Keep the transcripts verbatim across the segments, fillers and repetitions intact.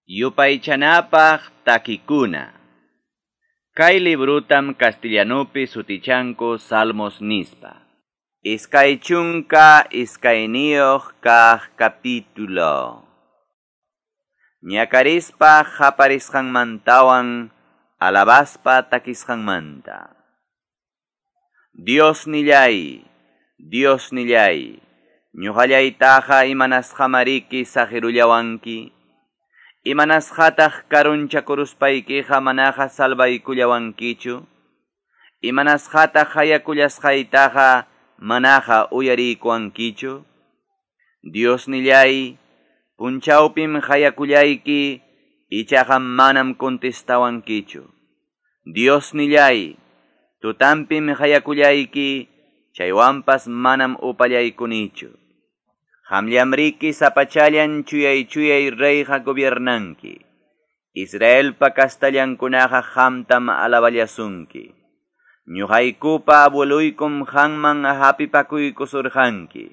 Yupaychanapaq takikuna. Kay librutam castellanupi sutichanku Salmos nispa. Iskay chunka iskayniyuq kaq capítulo. Ñakarispa qaparisqanmantawan alabaspa takisqanmanta. Dios nillay, Dios nillay, ñuqallaytaqa imanasqamariki saqirullawanki. Imanasqataq karunchakuruspaykiqa manaqa salvaykullawankichu. Imanasqataq hayakullasqaytaqa manaqa uyariykuwankichu. Dios nillay, punchawpim hayakullayki, ichaqa manam contestawankichu. Dios nillay, tutampim hayakullayki, chaywanpas manam upallaykunichu. Qamllamriki sapachallan chuyay chuyay reyqa gobiernanki. Israelpa kastallankunaqa qamtam alaballasunki. Ñuqaykupa abueluykum qamman hapipakuykusurqanki.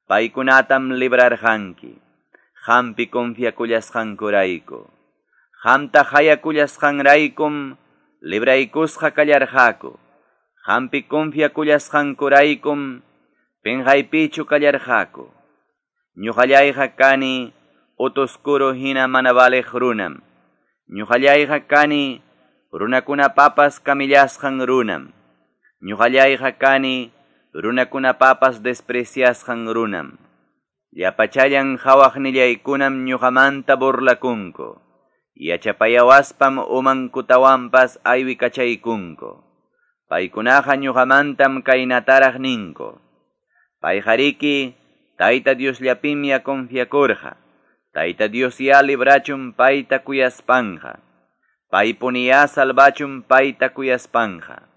Paykunatam librarqanki. Qampi confiakullasqankurayku. Qamta hayakullasqanraykum libraykusqa kallarqaku. Qampi confiakullasqankuraykum pinqaypichu kallarqaku. Ñuqallayqa kani utuskuru hina mana valiq runam. Ñuqallayqa kani runakunapapas kamillasqan runam. Ñuqallayqa kani runakunapapas despreciasqan runam. Llapachallan hawaqnillaykunam ñuqamanta burlakunku. Yachapayawaspam umankutawanpas aywikachaykunku. Paykunaqa ñuqamantam kaynataraq ninku. Payqariki Tayta Diosllapimya confiakurqa. Tayta Diosya librachun payta kuyaspanja. Paypuniya salvachun payta kuyaspanja.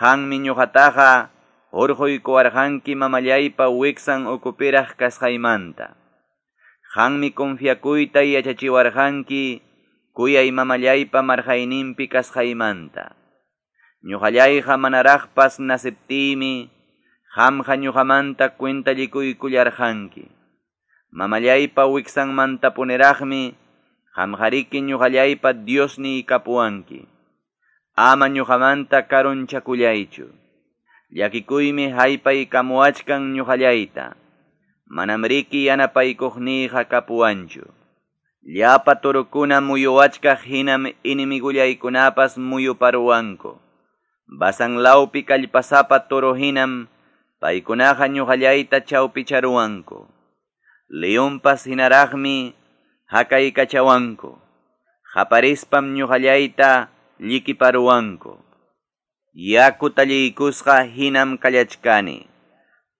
Qanmi ñuqataqa hurquykuwarqanki mamallaypa wiksan ukupiraq kasqaymanta. Qanmi confiakuyta yachachiwarqanki kuyay mamallaypa marqayninpi kasqaymanta. Ñuqallayqa manaraqpas nasiptiymi qamqa ñuqamanta cuentallikuykullarqanki. Mamallaypa wiksanmantapuniraqmi qamqariki ñuqallaypa Diosniy kapuwanki. Ama ñuqamanta karunchakullaychu. Llakikuymi haypaykamuwachkan ñuqallayta. Manam riki yanapaykuqniyqa kapuwanchu. Llapa torokuna muyuwachkaq hinam inimigullaykunapas muyuparuwanku. Basanlawpi kallpasapa toro hinam paykunaqa ñuqallayta chawpicharuwanku. Leonpas hinaraqmi hakaykachawanku. Qaparispam ñuqallayta llikiparuwanku. Yaku talliykusqa hinam kallachkani.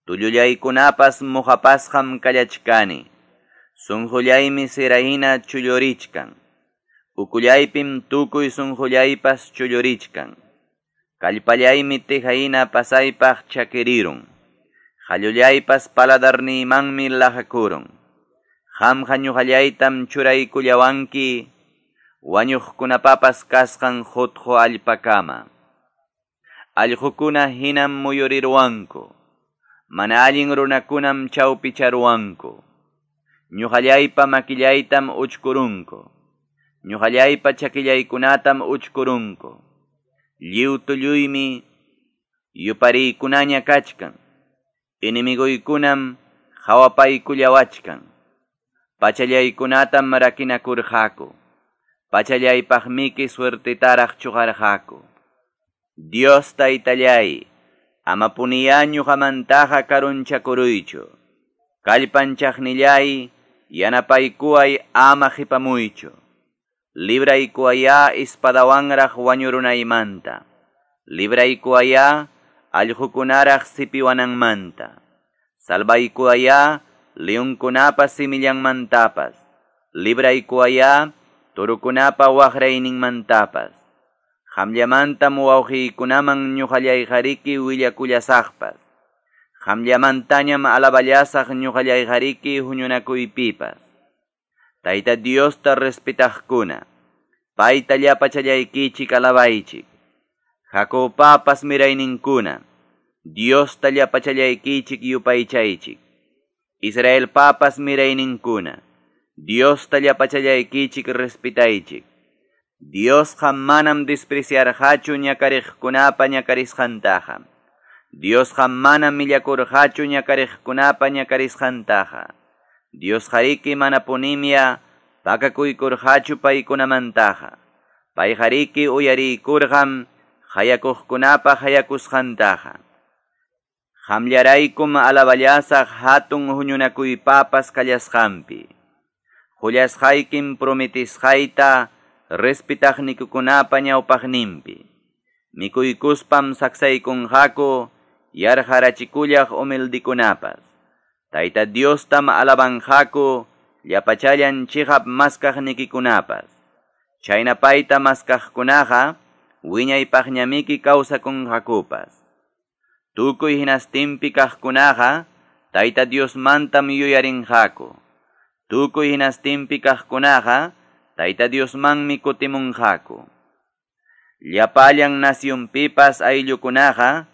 Tullullaykunapas muhapasqam kallachkani. Sunqullaymi sirahina chullurichkan. Ukullaypim tukuy sunqullaypas chullurichkan. Kallpallaymi tihayna pasaypaq chakirirun. Qallullaypas paladarniymanmi lajakurun. Qamqa ñuqallaytam churaykullawanki wañuqkunapapas kasqan hutqu allpakama. Allqukuna hinam muyuriruwanku. Mana allin runakunam chawpicharuwanku. Ñuqallaypa makillaytam uchkurunku. Ñuqallaypa chakillaykunatam uchkurunku. Lliw tulluymi yupariykunaña kachkan. Enemiguykunam hawapaykullawachkan. Pachallaykunatam rakinakurqaku. Pachallaypaqmiki suertetaraq chuqarqaku. Dios taytallay, amapuniya ñuqamantaqa karunchakuruychu. Kallpanchaqnillay, yanapaykuway ama qhipamuychu. Libraykuwaya espadawanraq wañurunaymanta. Libraykuwaya allqukunaraq sipiwananmanta. Salvaykuwaya leonkunapa simillanmantapas. Libraykuwaya turukunapa waqrayninmantapas. Qamllamantam wawqiykunaman ñuqallayqariki willakullasaqpas. Qamllamantañam alaballasaq ñuqallayqariki huñunakuypipas. Tayta Diosta respetaqkuna, payta llapachallaykichik alabaychik. Jacobpapas mirayninkuna, Diosta llapachallaykichik yupaychaychik. Israelpapas mirayninkuna, Diosta llapachallaykichik respetaychik. Diosqa manam despreciarqachu ñakariqkunapa ñakarisqantaqa. Diosqa manam millakurqachu ñakariqkunapa ñakarisqantaqa. Diosqariki manapunimya pakakuykurqachu paykunamantaqa. Payqariki uyariykurqam hayakuqkunapa hayakusqantaqa. Qamllaraykum alaballasaq hatun huñunakuypapas kallasqanpi. Qullasqaykim prometisqayta respetaqnikukunapa ñawpaqninpi. Mikuykuspam saksaykunqaku yarqarachikullaq humildikunapas. Tayta Diostam alabanqaku llapachallan chiqap maskaqnikikunapas. Chayna payta maskaqkunaqa wiñaypaqñamiki kawsakunqakupas. Tukuy hinastinpi kaqkunaqa Tayta Diosmantam yuyarinqaku. Tukuy hinastinpi kaqkunaqa Tayta Diosmanmi kutimunqaku. Llapallan nasyunpipas ayllukunaqa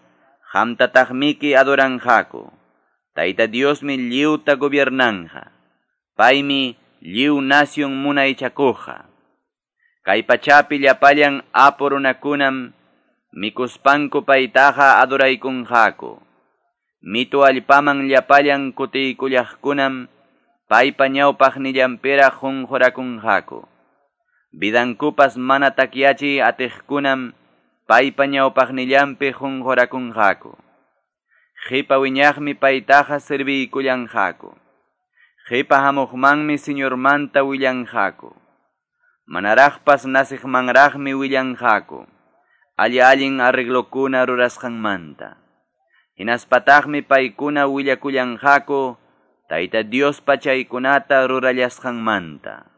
qamtataqmiki adoranqaku. Tayta Diosmi lliwta gobiernanja. Paymi lliw nasyun munaychakuqqa. Kay pachapi llapallan apu runakunam mikuspanku paytaqa adoraykunqaku. Mitu allpaman llapallan kutiykullaqkunam paypa ñawpaqnillanpiraq qunqurakunqaku. Vidankupas mana takyachiy atiqkunam paypa ñawpaqnillanpi qunqurakunqaku. Qipa wiñaqmi paytaqa serviykullanqaku. Qipa hamuqmanmi Señormanta willanqaku. Manaraqpas nasiqmanraqmi willanqaku. Alli allin arreglokuna rurasqanmanta. Hinaspataqmi paykuna willakullanqaku Tayta Diospa chaykunata rurallasqanmanta.